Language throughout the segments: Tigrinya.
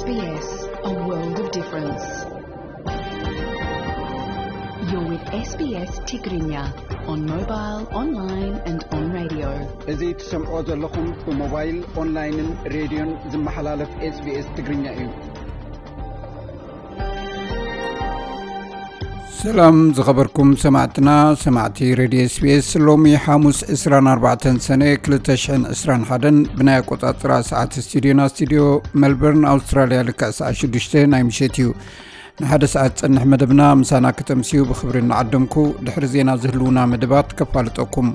S B S, a world of difference. You're with S B S Tigrinya on mobile, online and on radio. እዚ ትሰምዖ ዘለኹም ብሞባይል፣ ኦንላይንን ሬድዮን ዝመሓላለፍ SBS ትግርኛ እዩ። ሰላም ዝኸበርኩም ሰማዕትና፣ ሰማዕቲ ሬድዮ SBS። ሎሚ ሓሙስ ዕስራን ኣርባዕተን ሰነ ክልተ ሽሕን ዕስራን ሓደን ብናይ ኣቆጻጽራ ሰዓት ስቱዲዮና፣ ስቱዲዮ ሜልበርን ኣውስትራልያ፣ ልክዕ ሰዓት ሽዱሽተ ናይ ምሸት እዩ። ንሓደ ሰዓት ዝጸንሕ መደብና ምሳና ክተምስዩ ብኽብሪ እናዓደምኩ፣ ድሕሪ ዜና ዝህልዉና መደባት ከፋልጠኩም።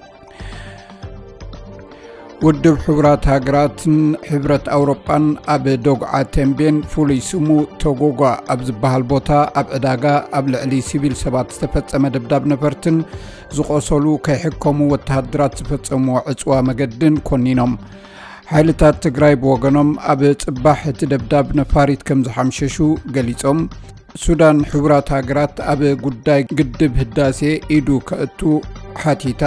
ውድብ ሕቡራት ሃገራትን ሕብረት ኣውሮጳን ኣብ ዶግዓ ተምቤን፣ ፍሉይ ስሙ ቶጎጓ ኣብ ዝበሃል ቦታ፣ ኣብ ዕዳጋ ኣብ ልዕሊ ሲቪል ሰባት ዝተፈጸመ ደብዳብ ነፈርትን ዝቖሰሉ ከይሕከሙ ወተሃደራት ዝፈጸምዎ ዕጽዋ መገድን ኮኒኖም። ሓይልታት ትግራይ ብወገኖም፣ ኣብ ጽባሕ እቲ ደብዳብ ነፋሪት ከም ዝሓምሸሹ ገሊጾም። ሱዳን፣ ሕቡራት ሃገራት ኣብ ጉዳይ ግድብ ህዳሴ ኢዱ ከእቱ ሓቲታ።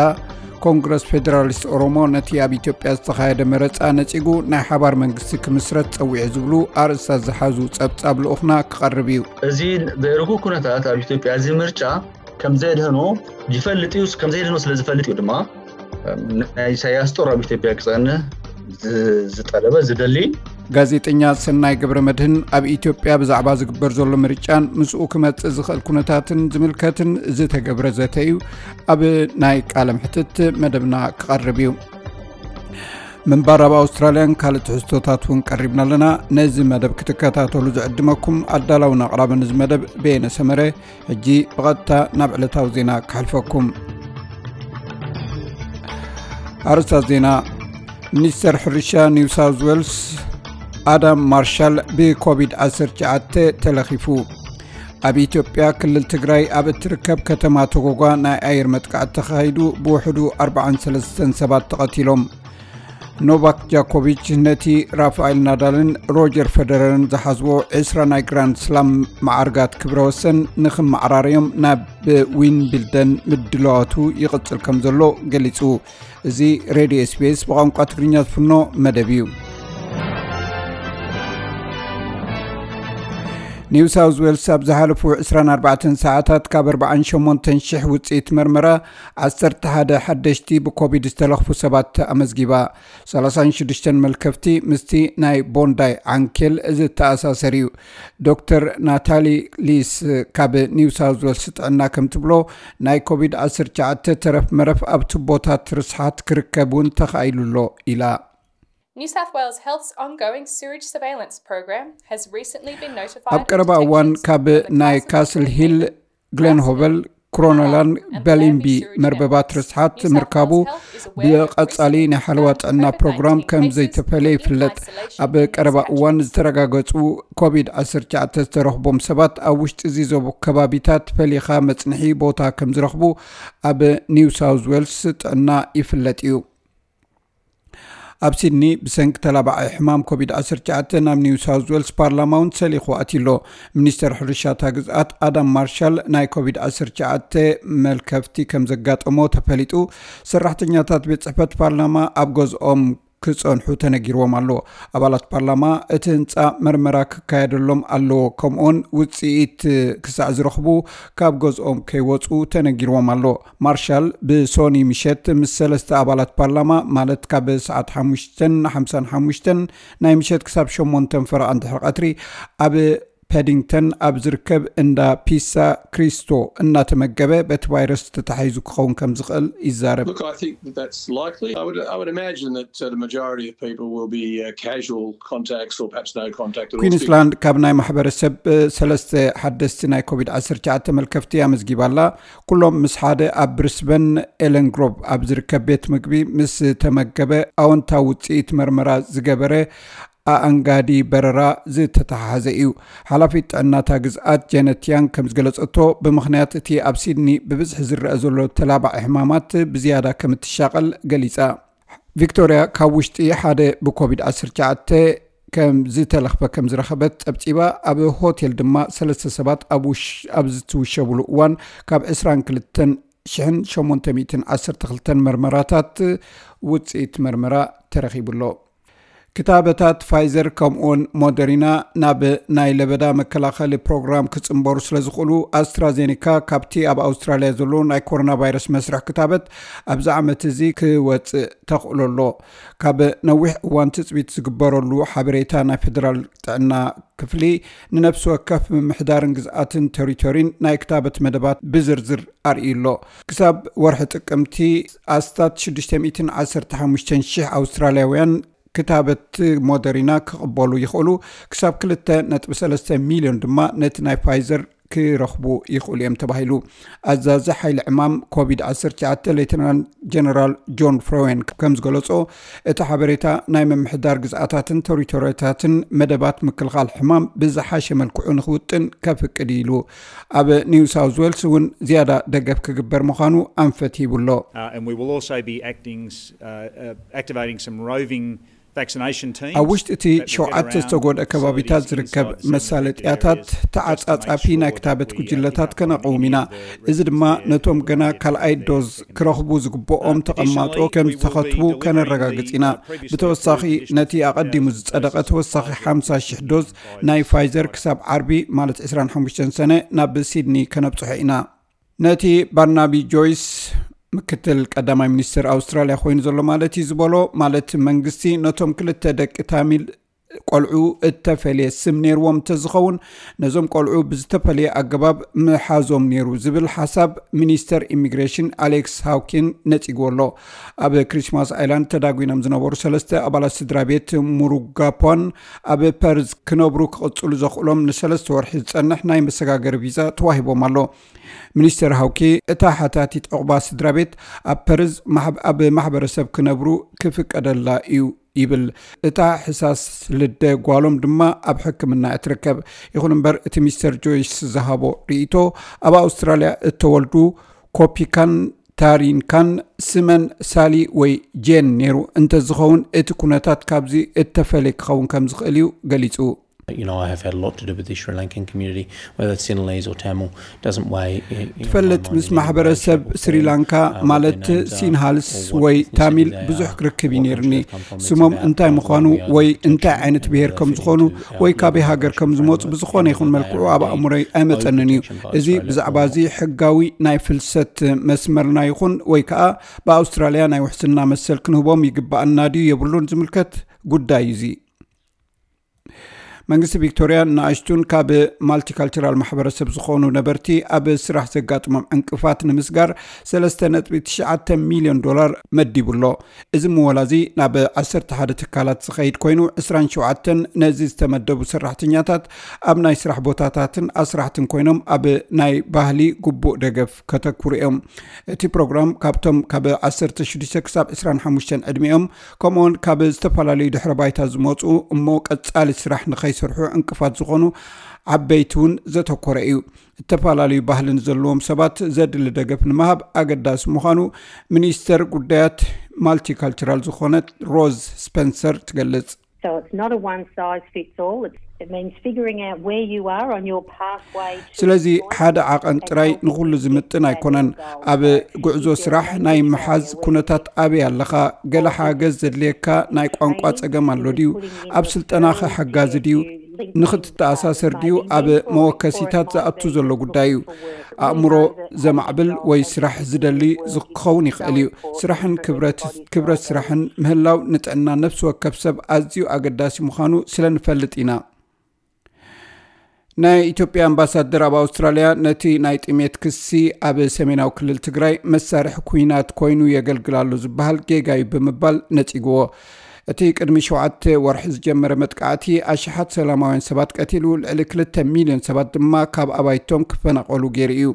ኮንግረስ ፌደራሊስት ኦሮሞ ነቲ ኣብ ኢትዮጵያ ዝተኻየደ መረጻ ነጺጉ፣ ናይ ሓባር መንግስቲ ክምስረት ጸዊዑ ዝብሉ ኣርእስታት ዝሓዙ ጸብጻብ ልኡኽና ክቐርብ እዩ። እዚ ብርጉእ ኩነታት ኣብ ኢትዮጵያ፣ እዚ ምርጫ ከም ዘየድህኖ ይፈልጥ እዩ። ከም ዘየድህኖ ስለ ዝፈልጥ እዩ ድማ ናይ ኢሳያስ ጦር ኣብ ኢትዮጵያ ክጸንህ ዝ-፣ ዝጠለበ፣ ዝደሊ። ጋዜጠኛ ሰናይ ገብረ መድህን ኣብ ኢትዮጵያ ብዛዕባ ዝግበር ዘሎ ምርጫን ምስኡ ክመጽእ ዝኽእል ኩነታትን ዝምልከትን ዝተገብረ ዘተ እዩ ኣብ ናይ ቃለ መሕትት መደብና ክቐርብ እዩ። ምንባር ኣብ ኣውስትራልያን ካልእ ትሕዝቶታት እውን ቀሪብና ኣለና። ነዚ መደብ ክትከታተሉ ዝዕድመኩም ኣዳላውን ኣቕራብን እዚ መደብ በየነ ሰመረ። ሕጂ ብቐጥታ ናብ ዕለታዊ ዜና ክሓልፈኩም። ኣርእስታት ዜና። ሚኒስተር ሕርሻ ኒው ሳውዝ ዌልስ ኣዳም ማርሻል ብኮቪድ ዓሰርተ ትሽዓተ ተለኺፉ። ኣብ ኢትዮጵያ ክልል ትግራይ ኣብ እትርከብ ከተማ ቶጎጓ ናይ ኣየር መጥቃዕቲ ተኻሂዱ፣ ብውሕዱ ኣርባዓን ሰለስተን ሰባት ተቐቲሎም። ኖቫክ ጃኮቪች ነቲ ራፋኤል ናዳልን ሮጀር ፈደረርን ዝሓዝዎ ዕስራ ናይ ግራንድ ስላም መዓርጋት ክብረ ወሰን ንኽመዓራረዮም ናብ ዊምብልደን ምድላዋቱ ይቕጽል ከም ዘሎ ገሊጹ። እዚ ሬድዮ SBS ብቋንቋ ትግርኛ ዝፍኖ መደብ እዩ። ኒው ሳውዝ ዌልስ ኣብ ዝሓለፉ ዕስራን ኣርባዕተን ሰዓታት ካብ ኣርባዓን ሸሞንተን ሽሕ ውጽኢት መርመራ፣ ዓሰርተ ሓደ ሓደሽቲ ብኮቪድ ዝተለኽፉ ሰባት ኣመዝጊባ። ሰላሳን ሽዱሽተን መልከፍቲ ምስቲ ናይ ቦንዳይ ዓንኬል ዝተኣሳሰር እዩ። ዶክተር ናታሊ ሊስ ካብ ኒው ሳውዝ ዌልስ ጥዕና ከም ትብሎ፣ ናይ ኮቪድ ዓሰርተ ትሽዓተ ተረፍ መረፍ ኣብ ቱቦታት ርስሓት ክርከብ እውን ተኻኢሉ ኣሎ ኢላ። New South Wales Health's ongoing sewage surveillance program has recently been notified ኣብ ቀረባ እዋን ካብ ናይ ካስል ሂል፣ ግሌንሆቨል፣ ክሮኖላን በሊምቢ መርበባት ርስሓት ምርካቡ ብቐጻሊ ናይ ሓለዋ ጥዕና ፕሮግራም ከም ዘይተፈለየ ይፍለጥ። ኣብ ቀረባ እዋን ዝተረጋገጹ ኮቪድ ዓሰርተ ትሽዓተ ዝተረኽቦም ሰባት ኣብ ውሽጢ እዚ ዞቦ ከባቢታት ፈሊኻ መጽንሒ ቦታ ከም ዝረኽቡ ኣብ ኒው ሳውዝ ዌልስ ጥዕና ይፍለጥ እዩ። ኣብ ሲድኒ ብሰንኪ ተላባዒ ሕማም ኮቪድ ዓሰርተ ትሽዓተ ናብ ኒው ሳውዝ ዌልስ ፓርላማ እውን ሰሊኹ ኣትዩ ኣሎ። ሚኒስተር ሕርሻ እታ ግዝኣት ኣዳም ማርሻል ናይ ኮቪድ ዓሰርተ ትሽዓተ መልከፍቲ ከም ዘጋጠሞ ተፈሊጡ። ሰራሕተኛታት ቤት ጽሕፈት ፓርላማ ኣብ ገዝኦም ክጸንሑ ተነጊርዎም ኣሎ። ኣባላት ፓርላማ እቲ ህንጻ መርመራ ክካየደሎም ኣለዎ፣ ከምኡውን ውጽኢት ክሳዕ ዝረኽቡ ካብ ገዝኦም ከይወጹ ተነጊርዎም ኣሎ። ማርሻል ብሶኒ ምሸት ምስ ሰለስተ ኣባላት ፓርላማ፣ ማለት ካብ ሰዓት ሓሙሽተን ሓምሳን ሓሙሽተን ናይ ምሸት ክሳብ ሸሞንተን ፈረቓ እንድሕሪ ቀትሪ ኣብ ፓዲንግተን ኣብ ዝርከብ እንዳ ፒሳ ክሪስቶ እናተመገበ በቲ ቫይረስ ተታሒዙ ክኸውን ከም ዝኽእል ይዛረብ። Look, I think that that's likely. I would, I would imagine that, uh, the majority of people will be, uh, casual contacts or perhaps no contact at all. ኩዊንስላንድ ካብ ናይ ማሕበረሰብ፣ እ፣ ሰለስተ ሓደስቲ ናይ ኮቪድ ዓሰርተ ትሽዓተ መልከፍቲ ኣመዝጊባ ኣላ። ኩሎም ምስ ሓደ ኣብ ብሪስበን ኤለን ግሮቭ ኣብ ዝርከብ ቤት ምግቢ ምስ ተመገበ ኣወንታዊ ውፅኢት መርመራ ዝገበረ ኣኣንጋዲ በረራ ዝተተሓሓዘ እዩ። ሓላፊት ጥዕናታ ግዝኣት ጀነት ያንግ ከም ዝገለጸቶ፣ ብምኽንያት እቲ ኣብ ሲድኒ ብብዝሒ ዝረአ ዘሎ ተላባዒ ሕማማት ብዝያዳ ከም እትሻቐል ገሊጻ። ቪክቶርያ ካብ ውሽጢ ሓደ ብኮቪድ ዓሰርተ ትሽዓተ ከም ዝተለኽፈ ከም ዝረኸበት ጸብጺባ። ኣብ ሆቴል ድማ ሰለስተ ሰባት ኣብ ውሽ-፣ ኣብ ዝትውሸብሉ እዋን ካብ ዕስራን ክልተን ሽሕን ሸሞንተ ሚእትን ዓሰርተ ክልተን መርመራታት ውጽኢት መርመራ ተረኺቡ ኣሎ። ክታበታት ፋይዘር ከምኡውን ሞደሪና ናብ ናይ ለበዳ መከላኸሊ ፕሮግራም ክጽንበሩ ስለ ዝኽእሉ፣ ኣስትራዜኒካ ካብቲ ኣብ ኣውስትራልያ ዘሎ ናይ ኮሮና ቫይረስ መስርሕ ክታበት ኣብዚ ዓመት እዚ ክወጽእ ተኽእሎ ኣሎ። ካብ ነዊሕ እዋን ትጽቢት ዝግበረሉ ሓበሬታ ናይ ፌደራል ጥዕና ክፍሊ፣ ንነፍሲ ወከፍ ምምሕዳርን ግዝኣትን ቴሪቶሪን ናይ ክታበት መደባት ብዝርዝር ኣርእዩ ኣሎ። ክሳብ ወርሒ ጥቅምቲ ኣስታት ሽዱሽተ ሚእትን ዓሰርተ ሓሙሽተን ሽሕ ኣውስትራልያውያን ክታበት ሞደሪና ክቕበሉ ይኽእሉ፣ ክሳብ ክልተ ነጥቢ ሰለስተ ሚልዮን ድማ ነቲ ናይ ፋይዘር ክረኽቡ ይኽእሉ እዮም ተባሂሉ። ኣዛዚ ሓይሊ ዕማም ኮቪድ ዓሰርተ ትሽዓተ ሌተናል ጀነራል ጆን ፍሮዌን ከም ዝገለጾ፣ እቲ ሓበሬታ ናይ ምምሕዳር ግዝኣታትን ቴሪቶሪታትን መደባት ምክልኻል ሕማም ብዝሓሸ መልክዑ ንኽውጥን ከፍቅድ ኢሉ። ኣብ ኒው ሳውዝ ዌልስ እውን ዝያዳ ደገፍ ክግበር ምዃኑ ኣንፈት ሂቡ ኣሎ። Uh, and we will also be acting, uh, uh, activating some roving vaccination teams. ኣብ ውሽጢ እቲ ሸውዓተ ዝተጎድአ ከባቢታት ዝርከብ መሳለጥያታት ተዓጻጻፊ ናይ ክታበት ጉጅለታት ከነቕውም ኢና። እዚ ድማ ነቶም ገና ካልኣይ ዶዝ ክረኽቡ ዝግብኦም ተቐማጦ ከም ዝተኸትቡ ከነረጋግጽ ኢና። ብተወሳኺ፣ ነቲ ኣቐዲሙ ዝጸደቐ ተወሳኺ ሓምሳ ሽሕ ዶዝ ናይ ፋይዘር ክሳብ ዓርቢ፣ ማለት ዕስራን ሓሙሽተን ሰነ፣ ናብ ሲድኒ ከነብጽሖ ኢና። ነቲ ባርናቢ ጆይስ ምክትል ቀዳማይ ሚኒስትር ኣውስትራልያ ኮይኑ ዘሎ ማለት እዩ ዝበሎ፣ ማለት መንግስቲ ነቶም ክልተ ደቂ ታሚል ቆልዑ እተፈልየ ስም ነይርዎም እንተዝኸውን፣ ነዞም ቆልዑ ብዝተፈለየ ኣገባብ ምሓዞም ነይሩ ዝብል ሓሳብ ሚኒስተር ኢሚግሬሽን ኣሌክስ ሃውኪን ነጺግዎ ኣሎ። ኣብ ክሪስማስ ኣይላንድ ተዳጒኖም ዝነበሩ ሰለስተ ኣባላት ስድራ ቤት ሙሩጋፖን ኣብ ፐርዝ ክነብሩ ክቕጽሉ ዘኽእሎም ንሰለስተ ወርሒ ዝጸንሕ ናይ መሰጋገሪ ቪዛ ተዋሂቦም ኣሎ። ሚኒስተር ሃውኪ፣ እታ ሓታቲት ዕቑባ ስድራ ቤት ኣብ ፐርዝ ማሕብ-፣ ኣብ ማሕበረሰብ ክነብሩ ክፍቀደላ እዩ ይብል። እታ ሕሳስ ልደ ጓሎም ድማ ኣብ ሕክምና እያ ትርከብ። ይኹን እምበር፣ እቲ ሚስተር ጆይስ ዝሃቦ ርእይቶ፣ ኣብ ኣውስትራልያ እተወልዱ ኮፒካን ታሪንካን ስመን ሳሊ ወይ ጄን ነይሩ እንተዝኸውን፣ እቲ ኩነታት ካብዚ እተፈለየ ክኸውን ከም ዝኽእል እዩ ገሊጹ። You know, I have had a lot to do with the Sri Lankan community, whether it's Sinhalese or Tamil, doesn't weigh. ትፈልጥ፣ ምስ ማሕበረሰብ ስሪላንካ፣ ማለት ሲንሃልስ ወይ ታሚል፣ ብዙሕ ክርክብ እዩ ነይርኒ። ስሞም እንታይ ምዃኑ ወይ እንታይ ዓይነት ብሄር ከም ዝኾኑ ወይ ካበይ ሃገር ከም ዝመፁ ብዝኾነ ይኹን መልክዑ ኣብ ኣእምሮይ ኣይመፀንን እዩ። እዚ ብዛዕባ እዚ ሕጋዊ ናይ ፍልሰት መስመርና ይኹን ወይ ከዓ ብኣውስትራልያ ናይ ውሕስና መሰል ክንህቦም ይግባኣና ድዩ የብሉን ዝምልከት ጉዳይ እዩ። እዚ መንግስቲ ቪክቶርያ ንኣሽቱን ካብ ማልቲካልቸራል ማሕበረሰብ ዝኾኑ ነበርቲ ኣብ ስራሕ ዘጋጥሞም ዕንቅፋት ንምስጋር ሰለስተ ነጥቢ ትሽዓተ ሚልዮን ዶላር መዲቡ ኣሎ። እዚ ምወላ እዚ ናብ ዓሰርተ ሓደ ትካላት ዝኸይድ ኮይኑ፣ ዕስራን ሸውዓተን ነዚ ዝተመደቡ ሰራሕተኛታት ኣብ ናይ ስራሕ ቦታታትን ኣስራሕትን ኮይኖም ኣብ ናይ ባህሊ ግቡእ ደገፍ ከተኩሩ እዮም። እቲ ፕሮግራም ካብቶም ካብ ዓሰርተ ሽዱሽተ ክሳብ ዕስራን ሓሙሽተን ዕድሚኦም፣ ከምኡውን ካብ ዝተፈላለዩ ድሕረ ባይታ ዝመፁ እሞ ቀፃሊ ስራሕ ንኸይሰርሑ ዕንቅፋት ዝኾኑ ዓበይቲ እውን ዘተኮረ እዩ። ዝተፈላለዩ ባህልን ዘለዎም ሰባት ዘድሊ ደገፍ ንምሃብ ኣገዳሲ ምዃኑ ሚኒስተር ጉዳያት ማልቲካልቸራል ዝኾነት ሮዝ ስፐንሰር ትገልጽ። So it's not a one size fits all. It's, it means figuring out where you are on your pathway to ስለዚ employment ሓደ ዓቐን and ጥራይ helping ንኹሉ you get ዝምጥን to that ኣይኮነን። end goal. ኣብ So if ጉዕዞ you're ስራሕ in ናይ Australia ምሓዝ where ኩነታት ኣበይ ኣለኻ? ገለ ሓገዝ ዘድልየካ ናይ ቋንቋ ጸገም ኣሎ ድዩ? ኣብ ስልጠናኸ ሓጋዚ ድዩ? ንኽትተኣሳሰር ድዩ? ኣብ መወከሲታት ዝኣቱ ዘሎ ጉዳይ እዩ። ኣእምሮ ዘማዕብል ወይ ስራሕ ዝደሊ ክኸውን ይኽእል እዩ። ስራሕን ክብረት፣ ክብረት ስራሕን ምህላው ንጥዕና ነፍሲ ወከፍ ሰብ ኣዝዩ ኣገዳሲ ምዃኑ ስለ ንፈልጥ ኢና። ናይ ኢትዮጵያ ኣምባሳደር ኣብ ኣውስትራልያ ነቲ ናይ ጥሜት ክሲ ኣብ ሰሜናዊ ክልል ትግራይ መሳርሒ ኩናት ኮይኑ የገልግል ኣሎ ዝበሃል ጌጋ እዩ ብምባል ነጺግዎ። እቲ ቅድሚ ሸውዓተ ወርሒ ዝጀመረ መጥቃዕቲ ኣሽሓት ሰላማውያን ሰባት ቀቲሉ፣ ልዕሊ ክልተ ሚልዮን ሰባት ድማ ካብ ኣባይቶም ክፈናቐሉ ገይሩ እዩ።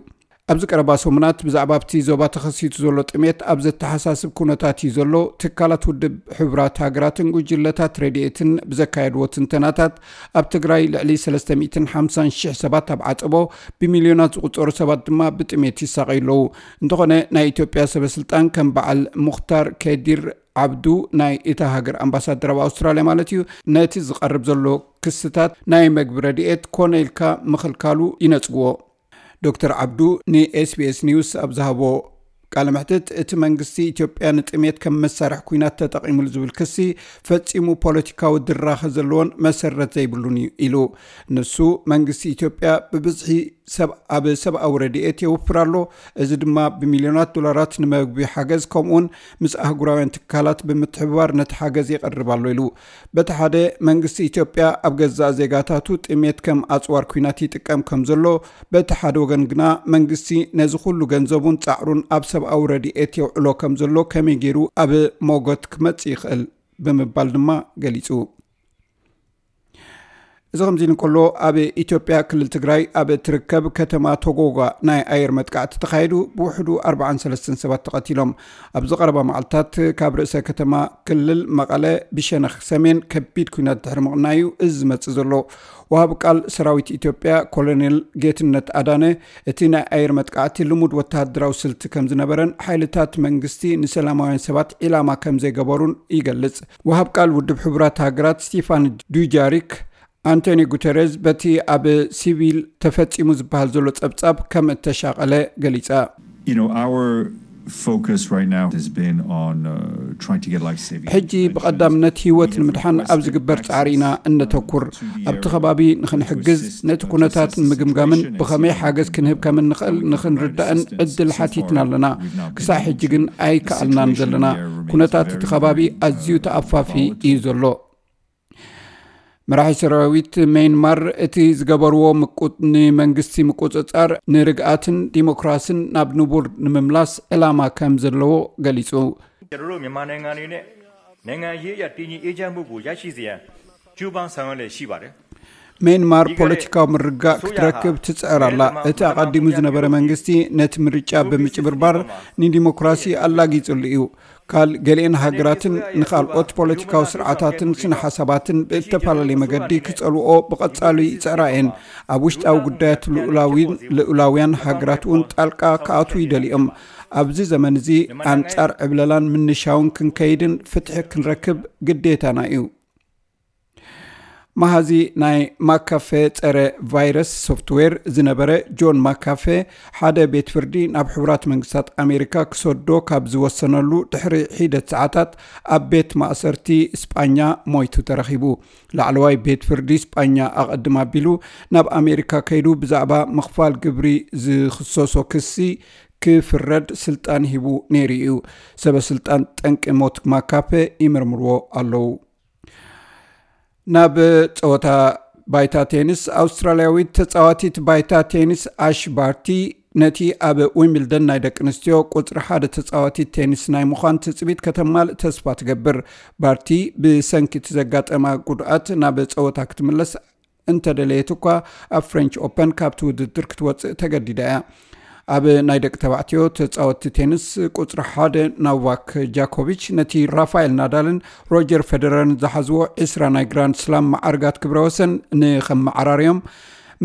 ኣብዚ ቀረባ ሰሙናት ብዛዕባ ኣብቲ ዞባ ተኸሲቱ ዘሎ ጥሜት ኣብ ዘተሓሳስብ ኩነታት እዩ ዘሎ። ትካላት ውድብ ሕቡራት ሃገራትን ጉጅለታት ረድኤትን ብዘካየድዎ ትንተናታት፣ ኣብ ትግራይ ልዕሊ ሰለስተ ሚእትን ሓምሳን ሽሕ ሰባት ኣብ ዓጸቦ፣ ብሚልዮናት ዝቑጸሩ ሰባት ድማ ብጥሜት ይሳቐዩ ኣለዉ። እንተኾነ፣ ናይ ኢትዮጵያ ሰበ ስልጣን ከም በዓል ሙኽታር ከዲር ዓብዱ፣ ናይ እታ ሃገር ኣምባሳደር ኣብ ኣውስትራልያ ማለት እዩ፣ ነቲ ዝቐርብ ዘሎ ክስታት ናይ መግቢ ረድኤት ኮነ ኢልካ ምኽልካሉ ይነጽግዎ። ዶክተር ዓብዱ ንኤስቢኤስ ኒውስ ኣብ ዝሃቦ ቃለ መሕትት፣ እቲ መንግስቲ ኢትዮጵያ ንጥሜት ከም መሳርሒ ኩናት ተጠቒሙሉ ዝብል ክሲ ፈጺሙ ፖለቲካዊ ድራኸ ዘለዎን መሰረት ዘይብሉን እዩ ኢሉ። ንሱ፣ መንግስቲ ኢትዮጵያ ብብዝሒ ሰብ ኣብ ሰብኣዊ ረድኤት የውፍር ኣሎ፣ እዚ ድማ ብሚልዮናት ዶላራት ንመግቢ ሓገዝ ከምኡውን ምስ ኣህጉራውያን ትካላት ብምትሕብባር ነቲ ሓገዝ የቐርብ ኣሎ ኢሉ። በቲ ሓደ መንግስቲ ኢትዮጵያ ኣብ ገዛእ ዜጋታቱ ጥሜት ከም ኣጽዋር ኩናት ይጥቀም ከም ዘሎ፣ በቲ ሓደ ወገን ግና መንግስቲ ነዚ ኩሉ ገንዘቡን ጻዕሩን ኣብ ሰብኣዊ ረድኤት የውዕሎ ከም ዘሎ ከመይ ገይሩ ኣብ ሞጎት ክመጽእ ይኽእል ብምባል ድማ ገሊጹ። እዚ ከምዚ ኢሉ እንከሎ፣ ኣብ ኢትዮጵያ ክልል ትግራይ ኣብ እትርከብ ከተማ ቶጎጋ ናይ ኣየር መጥቃዕቲ ተኻይዱ፣ ብውሕዱ ኣርባዓን ሰለስተን ሰባት ተቐቲሎም። ኣብዚ ቀረባ መዓልታት ካብ ርእሰ ከተማ ክልል መቐለ ብሸነኽ ሰሜን ከቢድ ኩናት ድሕሪ ምቕናዩ እዚ ዝመጽእ ዘሎ። ወሃቢ ቃል ሰራዊት ኢትዮጵያ ኮሎኔል ጌትነት ኣዳነ፣ እቲ ናይ ኣየር መጥቃዕቲ ልሙድ ወተሃደራዊ ስልቲ ከም ዝነበረን ሓይልታት መንግስቲ ንሰላማውያን ሰባት ዒላማ ከም ዘይገበሩን ይገልጽ። ወሃብ ቃል ውድብ ሕቡራት ሃገራት ስቲፋን ዱጃሪክ፣ ኣንቶኒ ጉተረዝ በቲ ኣብ ሲቪል ተፈጺሙ ዝበሃል ዘሎ ጸብጻብ ከም እተሻቐለ ገሊጻ። You know, our focus right now has been on uh, trying to get life saving ሕጂ ብቐዳምነት ህይወት ንምድሓን ኣብ ዝግበር ጻዕሪ ኢና እነተኩር። ኣብቲ ከባቢ ንኽንሕግዝ፣ ነቲ ኩነታት ንምግምጋምን ብኸመይ ሓገዝ ክንህብ ከም እንኽእል ንኽንርዳእን ዕድል ሓቲትና ኣለና። ክሳዕ ሕጂ ግን ኣይከኣልናን ዘለና። ኩነታት እቲ ከባቢ ኣዝዩ ተኣፋፊ እዩ ዘሎ። መራሒ ሰራዊት ሜንማር፣ እቲ ዝገበርዎ ምቁ- ንመንግስቲ ምቁጽጻር ንርግኣትን ዲሞክራስን ናብ ንቡር ንምምላስ ዕላማ ከም ዘለዎ ገሊጹ። ကျွန်တော်တို့မြန်မာနိုင်ငံအနေနဲ့နိုင်ငံရေးအရတည်ငြိမ်အေးချမ်းမှုကိုရရှိစေရန်ကြိုးပမ်းဆောင်ရွက်လျက်ရှိပါတယ်။ ሜንማር ፖለቲካዊ ምርግጋእ ክትረክብ ትጽዕር ኣላ። እቲ ኣቐዲሙ ዝነበረ መንግስቲ ነቲ ምርጫ ብምጭብርባር ንዲሞክራሲ ኣላጊጹሉ እዩ። ካል ገሊአን ሃገራትን ንኻልኦት ፖለቲካዊ ስርዓታትን ስነ ሓሳባትን ብእተፈላለየ መገዲ ክጸልኦ ብቐጻሉ ይጽዕራ እየን። ኣብ ውሽጣዊ ጉዳያት ልኡላዊን ልኡላውያን ሃገራት እውን ጣልቃ ክኣትዉ ይደልዮም። ኣብዚ ዘመን እዚ ኣንጻር ዕብለላን ምንሻውን ክንከይድን ፍትሒ ክንረክብ ግዴታና እዩ። መሃዚ ናይ ማካፌ ጸረ ቫይረስ ሶፍትዌር ዝነበረ ጆን ማካፌ፣ ሓደ ቤት ፍርዲ ናብ ሕቡራት መንግስታት ኣሜሪካ ክሰዶ ካብ ዝወሰነሉ ድሕሪ ሒደት ሰዓታት ኣብ ቤት ማእሰርቲ ስጳኛ ሞይቱ ተረኺቡ። ላዕለዋይ ቤት ፍርዲ ስጳኛ ኣቐድም ኣቢሉ ናብ ኣሜሪካ ከይዱ ብዛዕባ ምኽፋል ግብሪ ዝኽሰሶ ክሲ ክፍረድ ስልጣን ሂቡ ነይሩ እዩ። ሰበ ስልጣን ጠንቂ ሞት ማካፔ ይምርምርዎ ኣለዉ። ናብ ጸወታ ባይታ ቴኒስ፣ ኣውስትራልያዊት ተጻዋቲት ባይታ ቴኒስ ኣሽ ባርቲ ነቲ ኣብ ዊምብልደን ናይ ደቂ ኣንስትዮ ቁጽሪ ሓደ ተጻዋቲት ቴኒስ ናይ ምዃን ትጽቢት ከተማልእ ተስፋ ትገብር። ባርቲ ብሰንኪ እቲ ዘጋጠማ ጉድኣት ናብ ጸወታ ክትምለስ እንተደለየት እኳ፣ ኣብ ፍሬንች ኦፐን ካብቲ ውድድር ክትወጽእ ተገዲዳ እያ። ኣብ ናይ ደቂ ተባዕትዮ ተጻወትቲ ቴኒስ ቁጽሪ ሓደ ኖቫክ ጃኮቪች ነቲ ራፋኤል ናዳልን ሮጀር ፌደረርን ዝሓዝዎ ዕስራ ናይ ግራንድ ስላም መዓርጋት ክብረ ወሰን ንኸመዓራርዮም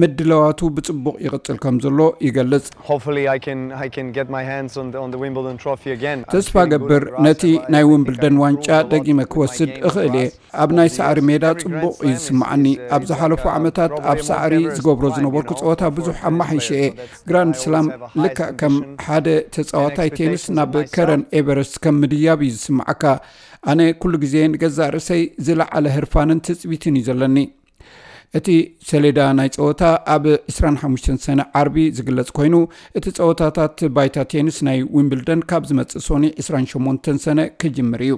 ምድላዋቱ ብጽቡቕ ይቕጽል ከም ዘሎ ይገልጽ። Hopefully I can I can get my hands on the, on the Wimbledon trophy again. I'm ተስፋ feeling good ገብር on grass. ነቲ I'm- I ናይ think ዊምብልደን I've ዋንጫ improved a lot ደጊመ in my ክወስድ game እኽእል እየ። compared to ኣብ ናይ ሳዕሪ ሜዳ ጽቡቕ እዩ ዝስምዓኒ። ኣብ ዝሓለፉ ዓመታት ኣብ ሳዕሪ ዝገብሮ ዝነበርኩ ጸወታ ብዙሕ ኣማሓይሸ እየ። ግራንድ ስላም ልክዕ ከም ሓደ ተጻዋታይ ቴኒስ ናብ ከረን ኤቨረስት ከም ምድያብ እዩ ዝስምዓካ። ኣነ ኩሉ ግዜ ንገዛእ ርእሰይ ዝለዓለ ህርፋንን ትጽቢትን እዩ ዘለኒ። እቲ ሰሌዳ ናይ ጸወታ ኣብ ዕስራን ሓሙሽተን ሰነ ዓርቢ ዝግለጽ ኮይኑ፣ እቲ ጸወታታት ባይታ ቴኒስ ናይ ዊምብልደን ካብ ዝመጽእ ሶኒ ዕስራን ሸሞንተን ሰነ ክጅምር እዩ።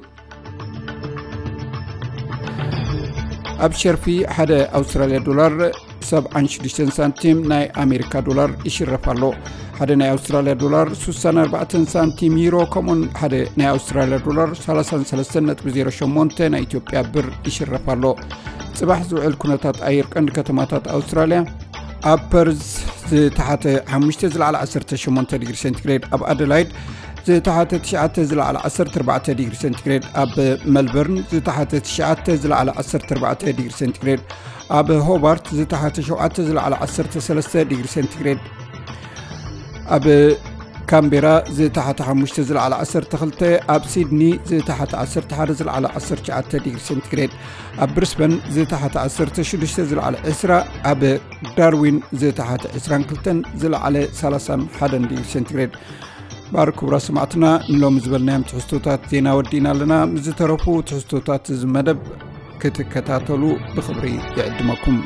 ኣብ ሸርፊ ሓደ ኣውስትራልያ ዶላር ሰብዓን ሽዱሽተን ሳንቲም ናይ ኣሜሪካ ዶላር ይሽረፍ ኣሎ። ሓደ ናይ ኣውስትራልያ ዶላር ሱሳን ኣርባዕተን ሳንቲም ዩሮ፣ ከምኡን ሓደ ናይ ኣውስትራልያ ዶላር ሰላሳን ሰለስተን ነጥቢ ዜሮ ሸሞንተ ናይ ኢትዮጵያ ብር ይሽረፍ ኣሎ። ጽባሕ ዝውዕል ኩነታት ኣየር ቀንዲ ከተማታት ኣውስትራልያ፣ ኣብ ፐርዝ ዝተሓተ ሓሙሽተ ዝለዓለ ዓሰርተ ሸሞንተ ዲግሪ ሴንቲግሬድ፣ ኣብ ኣደላይድ ዝተሓተ ትሽዓተ ዝለዓለ ዓሰርተ ኣርባዕተ ዲግሪ ሴንቲግሬድ፣ ኣብ መልበርን ዝተሓተ ትሽዓተ ዝለዓለ ዓሰርተ ኣርባዕተ ዲግሪ ሴንቲግሬድ፣ ኣብ ሆባርት ዝተሓተ ሸውዓተ ዝለዓለ ዓሰርተ ሰለስተ ዲግሪ ሴንቲግሬድ፣ ኣብ ካምቤራ ዝተሓተ ሓሙሽተ ዝለዓለ ዓሰርተ ክልተ፣ ኣብ ሲድኒ ዝተሓተ ዓሰርተ ሓደ ዝለዓለ ዓሰርተ ትሽዓተ ዲግሪ ሴንቲግሬድ፣ ኣብ ብሪስበን ዝተሓተ ዓሰርተ ሽዱሽተ ዝለዓለ ዕስራ፣ ኣብ ዳርዊን ዝተሓተ ዕስራን ክልተን ዝለዓለ ሰላሳን ሓደን ዲግሪ ሴንቲግሬድ። ባር ክቡራ ሰማዕትና፣ ንሎሚ ዝበልናዮም ትሕዝቶታት ዜና ወዲእና ኣለና። ምስ ዝተረፉ ትሕዝቶታት እዚ መደብ ክትከታተሉ ብኽብሪ ይዕድመኩም።